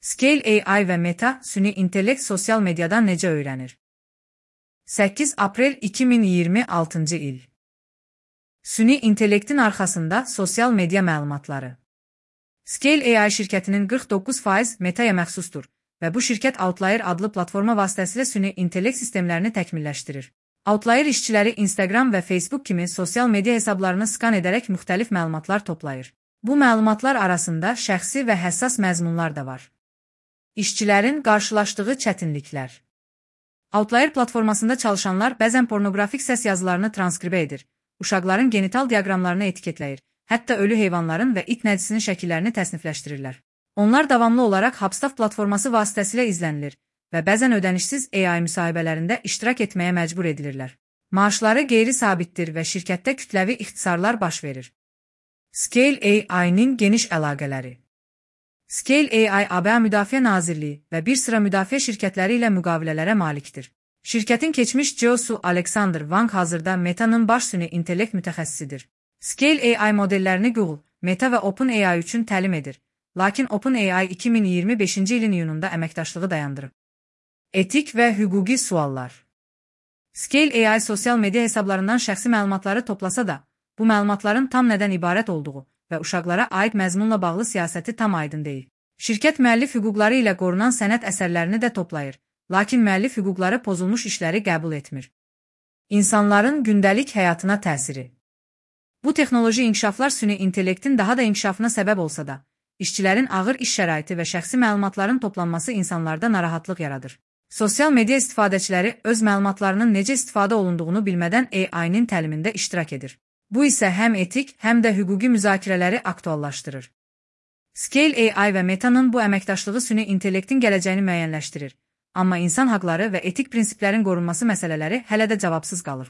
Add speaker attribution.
Speaker 1: Scale AI və Meta süni intellekt sosial mediadan necə öyrənir? 8 aprel 2026-cı il. Süni intellektin arxasında sosial media məlumatları. Scale AI şirkətinin 49% Meta'ya məxsusdur və bu şirkət Outlier adlı platforma vasitəsilə süni intellekt sistemlərini təkmilləşdirir. Outlier işçiləri Instagram və Facebook kimi sosial media hesablarını skan edərək müxtəlif məlumatlar toplayır. Bu məlumatlar arasında şəxsi və həssas məzmunlar da var. İşçilərin qarşılaşdığı çətinliklər. Outlier platformasında çalışanlar bəzən pornoqrafik səs yazılarını transkribə edir, uşaqların genital diaqramlarını etiketləyir, hətta ölü heyvanların və it nəcisinin şəkillərini təsnifləşdirirlər. Onlar davamlı olaraq Hubstaff platforması vasitəsilə izlənilir və bəzən ödənişsiz AI müsahibələrində iştirak etməyə məcbur edilirlər. Maaşları qeyri-sabitdir və şirkətdə kütləvi ixtisarlar baş verir. Scale AI-nin geniş əlaqələri. Scale AI ABŞ Müdafiə Nazirliyi və bir sıra müdafiə şirkətləri ilə müqavilələrə malikdir. Şirkətin keçmiş CEO-su Alexander Wang hazırda Meta'nın baş süni intellekt mütəxəssisidir. Scale AI modellərini Google, Meta və OpenAI üçün təlim edir, lakin OpenAI 2025-ci ilin iyununda əməkdaşlığı dayandırıb. Etik və hüquqi suallar. Scale AI sosial media hesablarından şəxsi məlumatları toplasa da, bu məlumatların tam nədən ibarət olduğu və uşaqlara aid məzmunla bağlı siyasəti tam aydın deyil. Şirkət müəllif hüquqları ilə qorunan sənət əsərlərini də toplayır, lakin müəllif hüquqları pozulmuş işləri qəbul etmir. İnsanların gündəlik həyatına təsiri. Bu texnoloji inkişaflar süni intellektin daha da inkişafına səbəb olsa da, işçilərin ağır iş şəraiti və şəxsi məlumatların toplanması insanlarda narahatlıq yaradır. Sosial media istifadəçiləri öz məlumatlarının necə istifadə olunduğunu bilmədən AI-nin təlimində iştirak edir. Bu isə həm etik, həm də hüquqi müzakirələri aktuallaşdırır. Scale AI və Meta'nın bu əməkdaşlığı süni intellektin gələcəyini müəyyənləşdirir, amma insan haqları və etik prinsiplərin qorunması məsələləri hələ də cavabsız qalır.